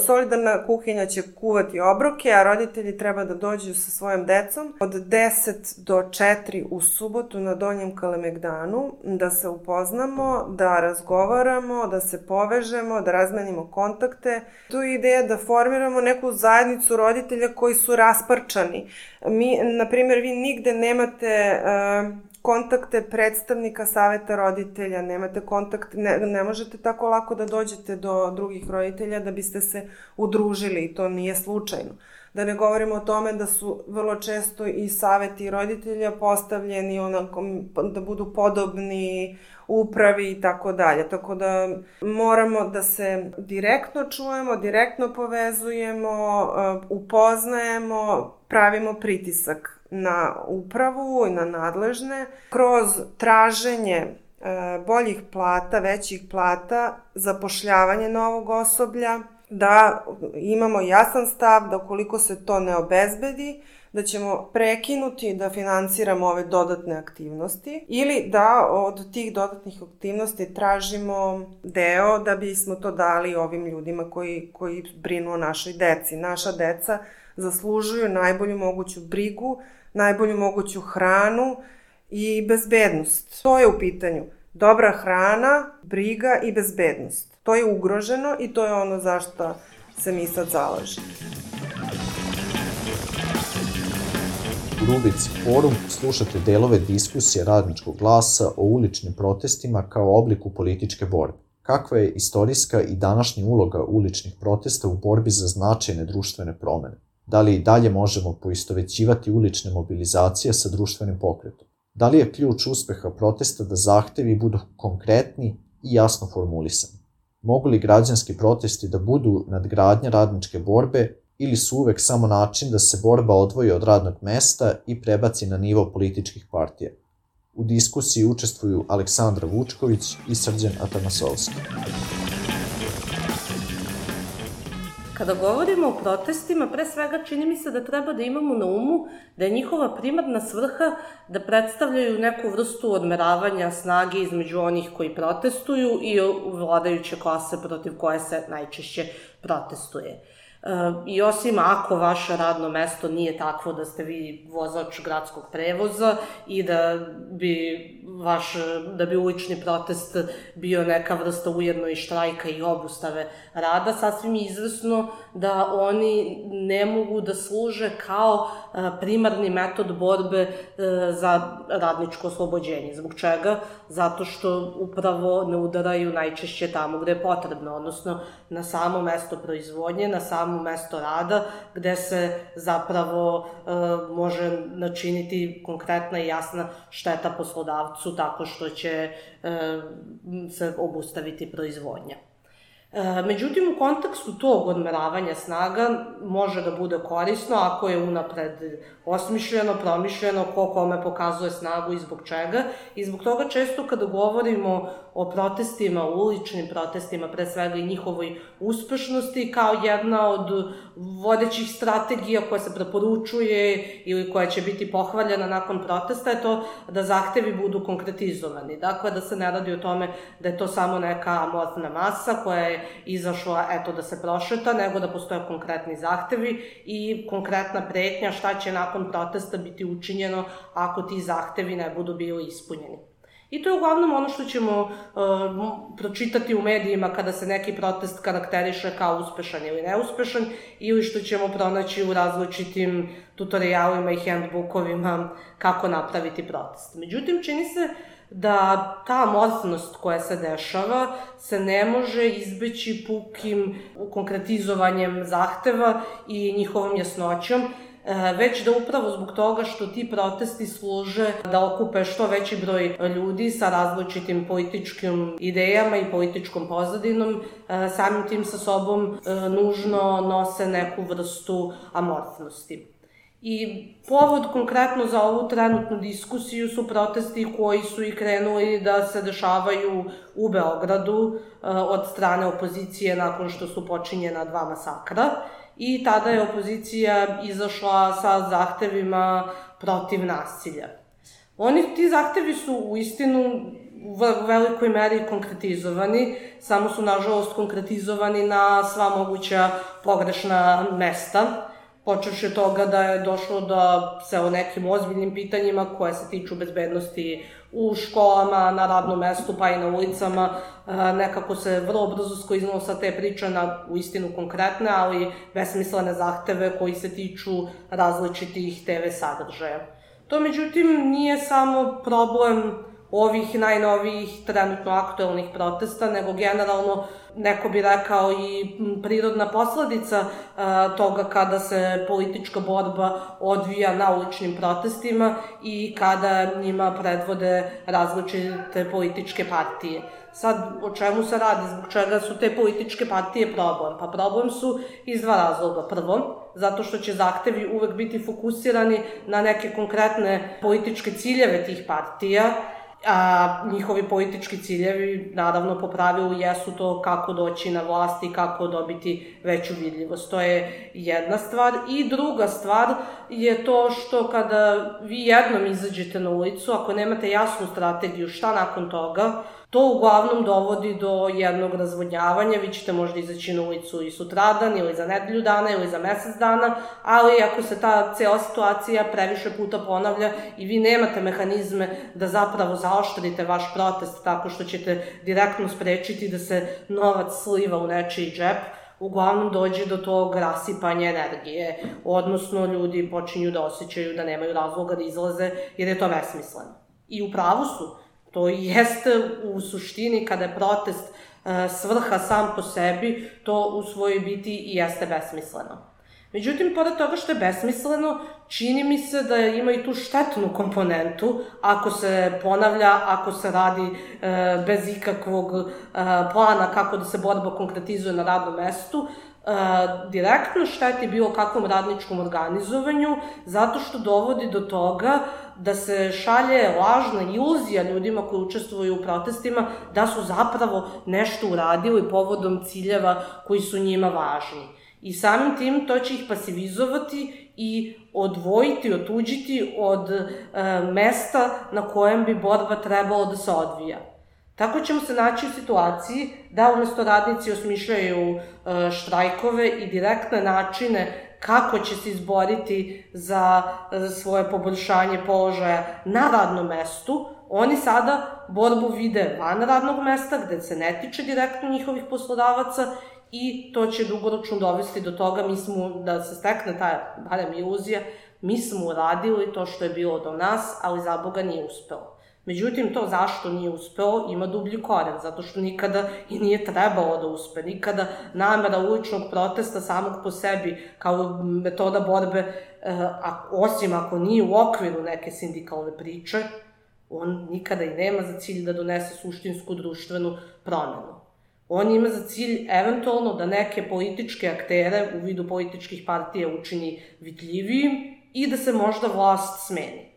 Solidarna kuhinja će kuvati obroke, a roditelji treba da dođu sa svojom decom od 10 do 4 u subotu na Donjem Kalemegdanu, da se upoznamo, da razgovaramo, da se povežemo, da razmenimo kontakte. Tu je ideja da formiramo neku zajednicu roditelja koji su rasparčani. Na primjer, vi nigde nemate kontakte predstavnika saveta roditelja, nemate kontakt, ne možete tako lako da dođete do drugih roditelja da biste se udružili i to nije slučajno. Da ne govorimo o tome da su vrlo često i saveti roditelja postavljeni onako da budu podobni upravi i tako dalje. Tako da moramo da se direktno čujemo, direktno povezujemo, upoznajemo, pravimo pritisak na upravu i na nadležne kroz traženje boljih plata, većih plata, zapošljavanje novog osoblja, da imamo jasan stav da ukoliko se to ne obezbedi, da ćemo prekinuti da finansiramo ove dodatne aktivnosti ili da od tih dodatnih aktivnosti tražimo deo da bismo to dali ovim ljudima koji brinu o našoj deci. Naša deca zaslužuju najbolju moguću brigu, najbolju moguću hranu i bezbednost. To je u pitanju. Dobra hrana, briga i bezbednost. To je ugroženo i to je ono zašto se mi sad zalažemo. U rubrici Forum slušate delove diskusije Radničkog glasa o uličnim protestima kao obliku političke borbe. Kakva je istorijska i današnja uloga uličnih protesta u borbi za značajne društvene promene? Da li i dalje možemo poistovećivati ulične mobilizacije sa društvenim pokretom? Da li je ključ uspeha protesta da zahtevi budu konkretni i jasno formulisani? Mogu li građanski protesti da budu nadgradnja radničke borbe ili su uvek samo način da se borba odvoji od radnog mesta i prebaci na nivo političkih partija? U diskusiji učestvuju Aleksandra Vučković i Srđan Atanasovski. Kada govorimo o protestima, pre svega čini mi se da treba da imamo na umu da je njihova primarna svrha da predstavljaju neku vrstu odmeravanja snage između onih koji protestuju i vladajuće klase protiv koje se najčešće protestuje. I osim ako vaše radno mesto nije takvo da ste vi vozač gradskog prevoza i da bi ulični protest bio neka vrsta ujedno i štrajka i obustave rada, sasvim je izvesno da oni ne mogu da služe kao primarni metod borbe za radničko oslobođenje. Zbog čega? Zato što upravo ne udaraju najčešće tamo gde je potrebno, odnosno na samo mesto proizvodnje, na samo mesto rada, gde se zapravo može načiniti konkretna i jasna šteta poslodavcu tako što će se obustaviti proizvodnja. Međutim, u kontekstu tog odmeravanja snaga može da bude korisno ako je unapred osmišljeno, promišljeno, ko kome pokazuje snagu i zbog čega. I zbog toga često kada govorimo o protestima, uličnim protestima, pre svega i njihovoj uspešnosti, kao jedna od vodećih strategija koja se preporučuje ili koja će biti pohvaljena nakon protesta je to da zahtevi budu konkretizovani. Dakle, da se ne radi o tome da je to samo neka amorfna masa koja je izašla da se prošeta, nego da postoje konkretni zahtevi i konkretna pretnja šta će nakon protesta biti učinjeno ako ti zahtevi ne budu bili ispunjeni. I to je uglavnom ono što ćemo pročitati u medijima kada se neki protest karakteriše kao uspešan ili neuspešan ili što ćemo pronaći u različitim tutorijalima i handbookovima kako napraviti protest. Međutim, čini se da ta amorfnost koja se dešava se ne može izbeći pukim konkretizovanjem zahteva i njihovom jasnoćom, već da upravo zbog toga što ti protesti služe da okupe što veći broj ljudi sa različitim političkim idejama i političkom pozadinom, samim tim sa sobom nužno nose neku vrstu amorfnosti. I povod konkretno za ovu trenutnu diskusiju su protesti koji su i krenuli da se dešavaju u Beogradu od strane opozicije nakon što su počinjena 2 masakra i tada je opozicija izašla sa zahtevima protiv nasilja. Ti zahtevi su u istinu u velikoj meri konkretizovani, samo su nažalost konkretizovani na sva moguća pogrešna mesta, počevši od toga da je došlo da se o nekim ozbiljnim pitanjima koje se tiču bezbednosti u školama, na radnom mestu pa i na ulicama, nekako se vrlo brzo skliznalo sa te priče na uistinu konkretne, ali besmislene zahteve koji se tiču različitih TV sadržaja. To međutim nije samo problem ovih najnovijih trenutno aktuelnih protesta, nego generalno, neko bi rekao, i prirodna posledica toga kada se politička borba odvija na uličnim protestima i kada njima predvode različite političke partije. Sad, o čemu se radi? Zbog čega su te političke partije problem? Pa problem su iz 2 razloga. Prvo, zato što će zahtevi uvek biti fokusirani na neke konkretne političke ciljeve tih partija, a njihovi politički ciljevi, naravno, po pravilu jesu to kako doći na vlast i kako dobiti veću vidljivost. To je jedna stvar. I druga stvar je to što kada vi jednom izađete na ulicu, ako nemate jasnu strategiju šta nakon toga, to uglavnom dovodi do jednog razvodnjavanja. Vi ćete možda izaći na ulicu i sutradan, ili za nedelju dana, ili za mesec dana, ali ako se ta cela situacija previše puta ponavlja i vi nemate mehanizme da zapravo zaoštrite vaš protest tako što ćete direktno sprečiti da se novac sliva u nečiji džep, uglavnom dođe do tog rasipanja energije, odnosno ljudi počinju da osjećaju da nemaju razloga da izlaze jer je to besmisleno. I u pravu su. To jeste u suštini, kada je protest svrha sam po sebi, to u svojoj biti i jeste besmisleno. Međutim, pored toga što je besmisleno, čini mi se da ima i tu štetnu komponentu ako se ponavlja, ako se radi bez ikakvog plana kako da se borba konkretizuje na radnom mestu, direktno šteti bilo kakvom radničkom organizovanju, zato što dovodi do toga da se šalje lažna iluzija ljudima koji učestvuju u protestima da su zapravo nešto uradili povodom ciljeva koji su njima važni. I samim tim to će ih pasivizovati i odvojiti, otuđiti od mesta na kojem bi borba trebalo da se odvija. Tako ćemo se naći u situaciji da umesto radnici osmišljaju štrajkove i direktne načine kako će se izboriti za svoje poboljšanje položaja na radnom mestu, oni sada borbu vide van radnog mesta, gde se ne tiče direktno njihovih poslodavaca, i to će dugoročno dovesti do toga, da se stekne ta, barem iluzija, mi smo uradili to što je bilo do nas, ali za Boga nije uspelo. Međutim, to zašto nije uspeo ima dublji koren, zato što nikada i nije trebalo da uspe. Nikada namera uličnog protesta samog po sebi kao metoda borbe, osim ako nije u okviru neke sindikalne priče, on nikada i nema za cilj da donese suštinsku društvenu promenu. On ima za cilj eventualno da neke političke aktere u vidu političkih partija učini vidljivijim i da se možda vlast smeni.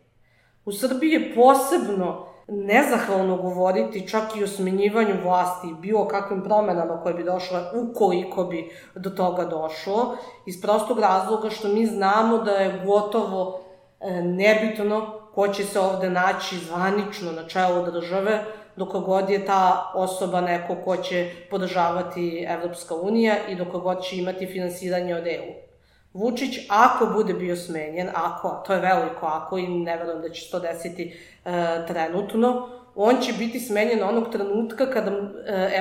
U Srbiji je posebno nezahvalno govoriti čak i o smenjivanju vlasti i bilo kakvim promenama koje bi došle ukoliko bi do toga došlo, iz prostog razloga što mi znamo da je gotovo nebitno ko će se ovde naći zvanično na čelu države, dok god je ta osoba neko ko će podržavati Evropska unija i dok god će imati finansiranje od EU. Vučić, ako bude bio smenjen, to je veliko ako i ne verujem da će se to desiti trenutno, on će biti smenjen onog trenutka kada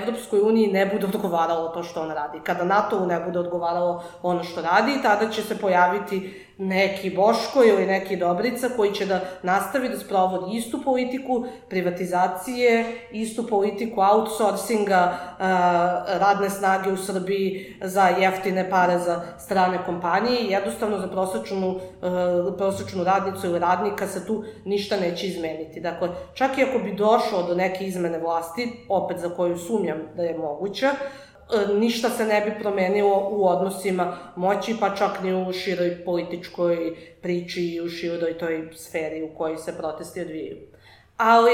Evropskoj uniji ne bude odgovaralo to što on radi, kada NATO-u ne bude odgovaralo ono što radi, tada će se pojaviti neki Boško ili neki Dobrica koji će da nastavi da sprovodi istu politiku privatizacije, istu politiku outsourcinga radne snage u Srbiji za jeftine pare za strane kompanije i jednostavno za prosečnu radnicu ili radnika se tu ništa neće izmeniti. Dakle, čak i ako bi došlo do neke izmene vlasti, opet za koju sumnjam da je moguća, ništa se ne bi promenilo u odnosima moći, pa čak ni u široj političkoj priči i u široj toj sferi u kojoj se protesti odvijaju. Ali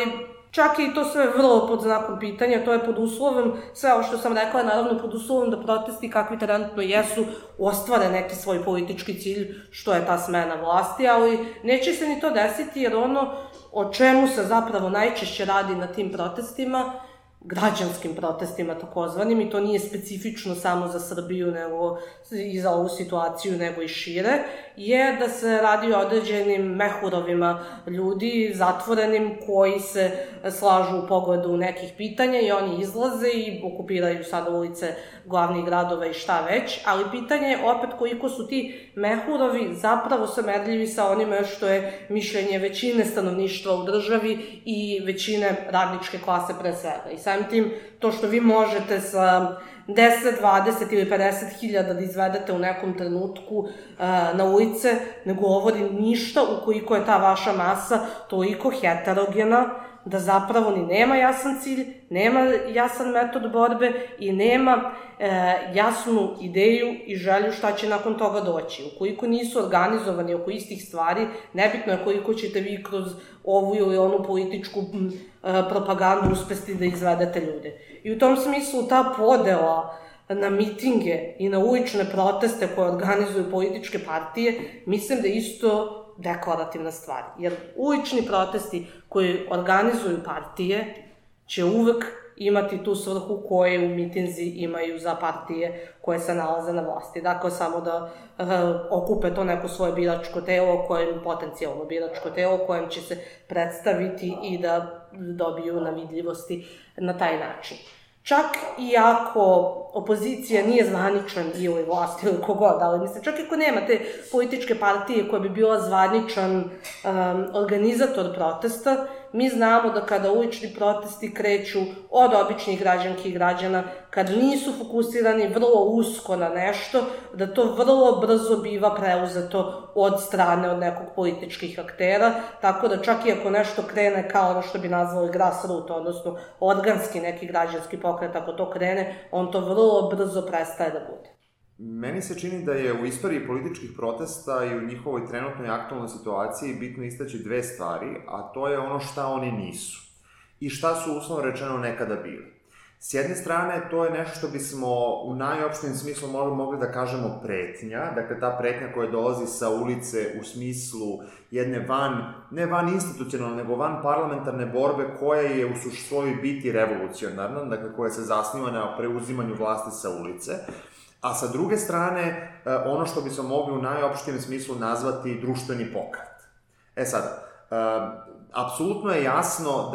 čak je i to sve vrlo pod znakom pitanja, to je pod uslovom, sve ovo što sam rekla je naravno pod uslovom da protesti kakvi trenutno jesu ostvare neki svoj politički cilj, što je ta smena vlasti, ali neće se ni to desiti jer ono o čemu se zapravo najčešće radi na tim protestima, građanskim protestima takozvanim, i to nije specifično samo za Srbiju nego i za ovu situaciju, nego i šire, je da se radi o određenim mehurovima ljudi, zatvorenim, koji se slažu u pogledu nekih pitanja i oni izlaze i okupiraju sada ulice glavnih gradova i šta već, ali pitanje je opet koliko su ti mehurovi zapravo samerljivi sa onime što je mišljenje većine stanovništva u državi i većine radničke klase pre svega. I samim tim, to što vi možete sa 10, 20 ili 50 hiljada da izvedete u nekom trenutku na ulice, ne govori ništa ukoliko je ta vaša masa toliko heterogena da zapravo ni nema jasan cilj, nema jasan metod borbe i nema jasnu ideju i želju šta će nakon toga doći. Ukoliko nisu organizovani oko istih stvari, nebitno je koliko ćete vi kroz ovu ili onu političku propagandu uspesti da izvedete ljude. I u tom smislu ta podela na mitinge i na ulične proteste koje organizuju političke partije, mislim da je isto deklarativna stvar. Jer ulični protesti koji organizuju partije će uvek imati tu svrhu koje u mitinzi imaju za partije koje se nalaze na vlasti. Dakle, samo da okupe to neko svoje biračko telo, potencijalno biračko telo, kojem će se predstaviti i da dobiju na vidljivosti na taj način. Čak i ako opozicija nije zvaničan ili vlast ili kogod, ali mislim, čak i ako nema te političke partije koja bi bila zvaničan organizator protesta, mi znamo da kada ulični protesti kreću od običnih građanki i građana, kad nisu fokusirani vrlo usko na nešto, da to vrlo brzo biva preuzeto od strane od nekog političkih aktera, tako da čak i ako nešto krene kao ono što bi nazvali grassroot, odnosno organski neki građanski pokret, ako to krene, on to vrlo brzo prestaje da bude. Meni se čini da je u istoriji političkih protesta i u njihovoj trenutnoj aktualnoj situaciji bitno istaći dve stvari, a to je ono šta oni nisu i šta su uslovno rečeno nekada bili. S jedne strane, to je nešto što bismo u najopštijem smislu mogli da kažemo pretnja, dakle ta pretnja koja dolazi sa ulice u smislu jedne ne van institucionalne, nego van parlamentarne borbe koja je u svojoj biti revolucionarna, dakle koja se zasniva na preuzimanju vlasti sa ulice. A sa druge strane, ono što bismo mogli u najopštijem smislu nazvati društveni pokret. E sad, apsolutno je jasno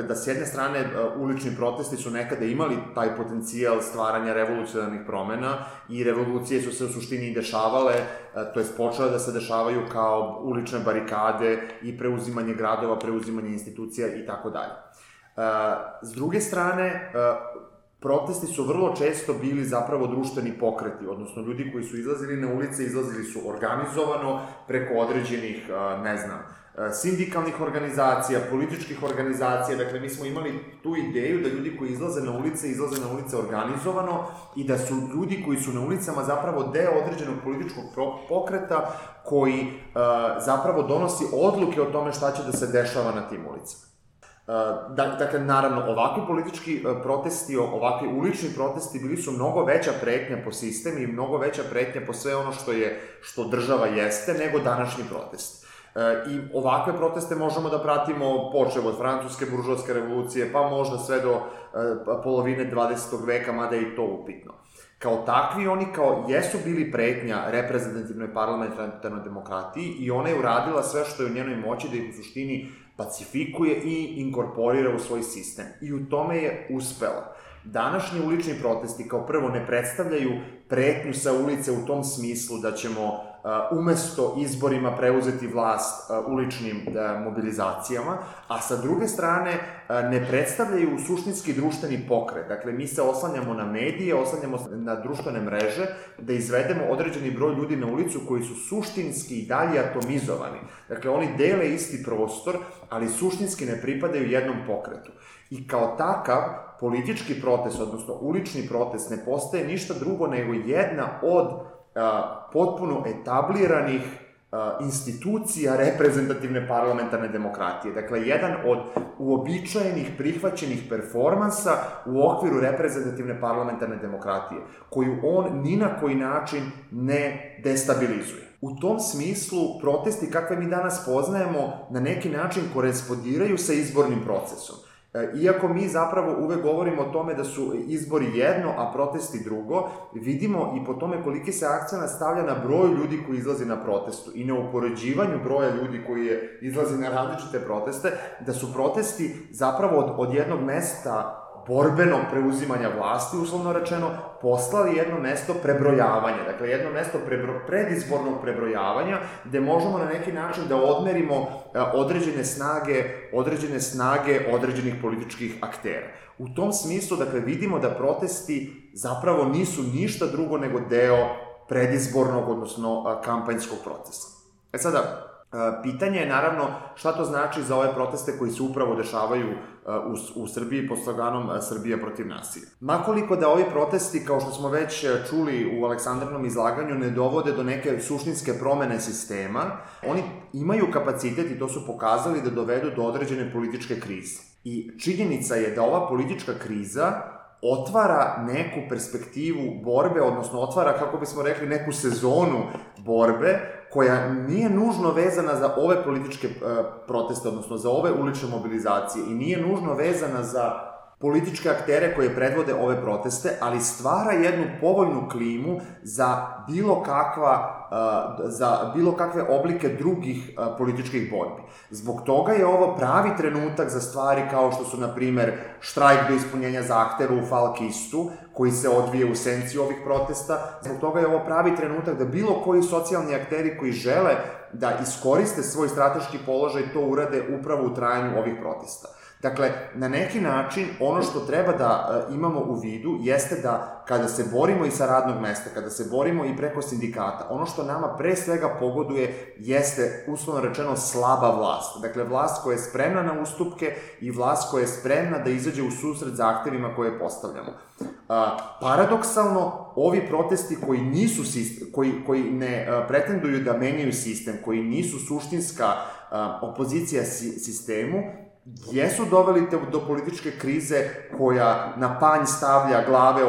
da s jedne strane ulični protesti su nekada imali taj potencijal stvaranja revolucionarnih promena i revolucije su se u suštini i dešavale, to jest počele da se dešavaju kao ulične barikade i preuzimanje gradova, preuzimanje institucija i tako dalje. S druge strane, protesti su vrlo često bili zapravo društveni pokreti, odnosno ljudi koji su izlazili na ulice, izlazili su organizovano preko određenih, sindikalnih organizacija, političkih organizacija, dakle mi smo imali tu ideju da ljudi koji izlaze na ulice organizovano i da su ljudi koji su na ulicama zapravo deo određenog političkog pokreta koji zapravo donosi odluke o tome šta će da se dešava na tim ulicama. Dakle, naravno, ovakvi politički protesti, ovakvi ulični protesti bili su mnogo veća pretnja po sistem i mnogo veća pretnja po sve ono što država jeste, nego današnji protest. I ovakve proteste možemo da pratimo počev od francuske buržoaske revolucije, pa možda sve do polovine 20. veka, mada je i to upitno. Kao takvi, oni jesu bili pretnja reprezentativnoj parlamentarnoj demokratiji i ona je uradila sve što je u njenoj moći da ih u suštini pacifikuje i inkorporira u svoj sistem. I u tome je uspela. Današnji ulični protesti kao prvo ne predstavljaju pretnju sa ulice u tom smislu da ćemo umesto izborima preuzeti vlast uličnim mobilizacijama, a sa druge strane ne predstavljaju suštinski društveni pokret. Dakle, mi se oslanjamo na medije, oslanjamo na društvene mreže, da izvedemo određeni broj ljudi na ulicu koji su suštinski i dalje atomizovani. Dakle, oni dele isti prostor, ali suštinski ne pripadaju jednom pokretu. I kao takav, politički protest, odnosno ulični protest, ne postaje ništa drugo nego jedna od potpuno etabliranih institucija reprezentativne parlamentarne demokratije. Dakle, jedan od uobičajenih, prihvaćenih performansa u okviru reprezentativne parlamentarne demokratije, koju on ni na koji način ne destabilizuje. U tom smislu, protesti kakve mi danas poznajemo na neki način korespondiraju sa izbornim procesom. Iako mi zapravo uvek govorimo o tome da su izbori jedno, a protesti drugo, vidimo i po tome koliki se akcenat stavlja na broj ljudi koji izlazi na protestu i na upoređivanju broja ljudi koji izlazi na različite proteste, da su protesti zapravo od jednog mesta borbenog preuzimanja vlasti, uslovno rečeno, poslali jedno mesto prebrojavanja. Dakle, jedno mesto predizbornog prebrojavanja, gde možemo na neki način da odmerimo određene snage određenih političkih aktera. U tom smislu, dakle, vidimo da protesti zapravo nisu ništa drugo nego deo predizbornog, odnosno kampanjskog procesa. Sada, pitanje je naravno šta to znači za ove proteste koji se upravo dešavaju u Srbiji pod sloganom Srbija protiv nasilja. Makoliko da ovi protesti, kao što smo već čuli u Aleksandrinom izlaganju, ne dovode do neke suštinske promene sistema, oni imaju kapacitet, i to su pokazali, da dovedu do određene političke krize. I činjenica je da ova politička kriza otvara neku perspektivu borbe, odnosno otvara, kako bismo rekli, neku sezonu borbe koja nije nužno vezana za ove političke proteste, odnosno za ove ulične mobilizacije i nije nužno vezana za političke aktere koje predvode ove proteste, ali stvara jednu povoljnu klimu za bilo kakve oblike drugih političkih borbi. Zbog toga je ovo pravi trenutak za stvari kao što su, na primer, štrajk do ispunjenja zahteva u Falk-istu, koji se odvije u senci ovih protesta. Zbog toga je ovo pravi trenutak da bilo koji socijalni akteri koji žele da iskoriste svoj strateški položaj to urade upravo u trajanju ovih protesta. Dakle, na neki način, ono što treba da imamo u vidu jeste da kada se borimo i sa radnog mesta, kada se borimo i preko sindikata, ono što nama pre svega pogoduje jeste, uslovno rečeno, slaba vlast. Dakle, vlast koja je spremna na ustupke i vlast koja je spremna da izađe u susret zahtevima koje postavljamo. Paradoksalno, ovi protesti koji ne pretenduju da menjaju sistem, koji nisu suštinska opozicija sistemu, jesu doveli do političke krize koja na panj stavlja glave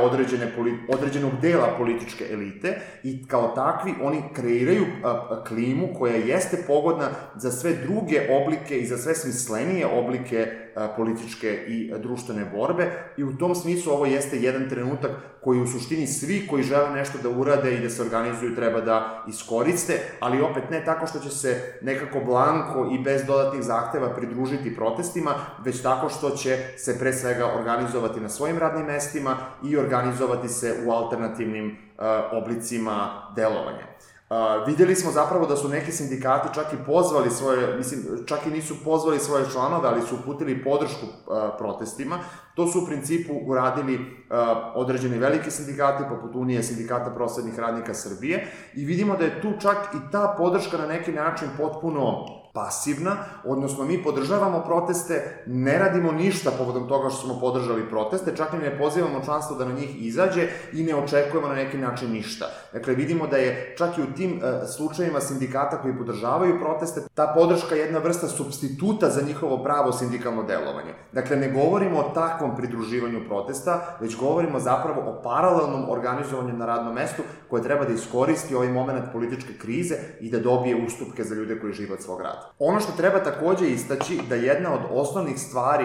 određenog dela političke elite i kao takvi oni kreiraju klimu koja jeste pogodna za sve druge oblike i za sve smislenije oblike političke i društvene borbe i u tom smislu ovo jeste jedan trenutak koji u suštini svi koji žele nešto da urade i da se organizuju treba da iskoriste, ali opet ne tako što će se nekako blanko i bez dodatnih zahteva pridružiti protestima, već tako što će se pre svega organizovati na svojim radnim mestima i organizovati se u alternativnim oblicima delovanja. Videli smo zapravo da su neki sindikati čak i pozvali čak i nisu pozvali svoje članove, ali su uputili podršku protestima. To su u principu uradili određeni veliki sindikati, poput Unije sindikata prosvetnih radnika Srbije, i vidimo da je tu čak i ta podrška na neki način potpuno pasivna, odnosno mi podržavamo proteste, ne radimo ništa povodom toga što smo podržali proteste, čak i ne pozivamo članstvo da na njih izađe i ne očekujemo na neki način ništa. Dakle, vidimo da je čak i u tim slučajima sindikata koji podržavaju proteste, ta podrška je jedna vrsta supstituta za njihovo pravo sindikalno delovanje. Dakle, ne govorimo o takvom pridruživanju protesta, već govorimo zapravo o paralelnom organizovanju na radnom mestu koje treba da iskoristi ovaj moment političke krize i da dobije ustupke za ljude koji žive od svog rada. Ono što treba takođe istaći da jedna od osnovnih stvari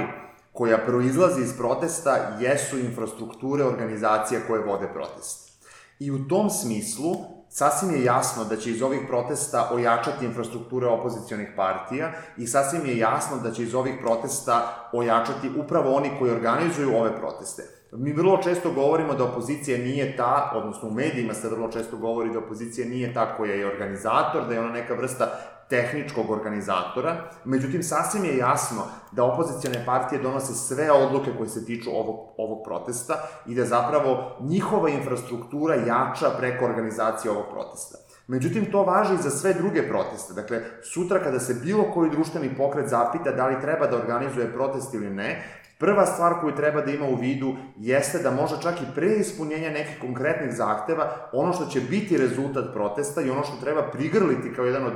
koja proizlazi iz protesta jesu infrastrukture organizacija koje vode protest. I u tom smislu sasvim je jasno da će iz ovih protesta ojačati infrastrukture opozicionih partija i sasvim je jasno da će iz ovih protesta ojačati upravo oni koji organizuju ove proteste. Mi vrlo često govorimo da opozicija nije ta, odnosno u medijima se vrlo često govori da opozicija nije ta koja je organizator, da je ona neka vrsta tehničkog organizatora, međutim sasvim je jasno da opozicijone partije donose sve odluke koje se tiču ovog protesta i da zapravo njihova infrastruktura jača preko organizacije ovog protesta. Međutim, to važi i za sve druge proteste. Dakle, sutra kada se bilo koji društveni pokret zapita da li treba da organizuje protest ili ne, prva stvar koju treba da ima u vidu jeste da može čak i pre ispunjenja nekih konkretnih zahteva, ono što će biti rezultat protesta i ono što treba prigrliti kao jedan od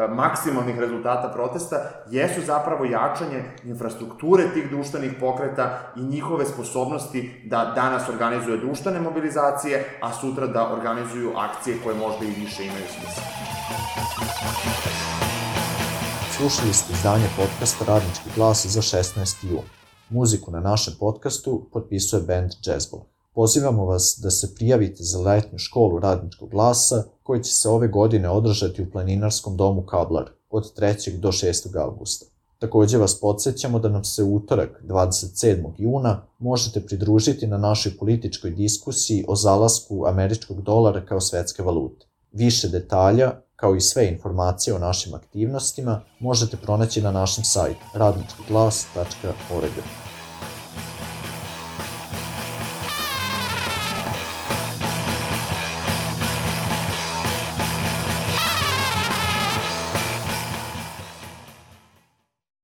maksimalnih rezultata protesta, jesu zapravo jačanje infrastrukture tih društvenih pokreta i njihove sposobnosti da danas organizuju društvene mobilizacije, a sutra da organizuju akcije koje možda i više imaju smisla. Slušali ste izdanje podcasta Radnički glas za 16. jun. Muziku na našem podcastu potpisuje band Jazzball. Pozivamo vas da se prijavite za letnju školu Radničkog glasa koji će se ove godine održati u planinarskom domu Kablar od 3. do 6. avgusta. Takođe vas podsjećamo da nam se u utorak 27. juna možete pridružiti na našoj političkoj diskusiji o zalasku američkog dolara kao svetske valute. Više detalja, kao i sve informacije o našim aktivnostima, možete pronaći na našem sajtu radničkiglas.org.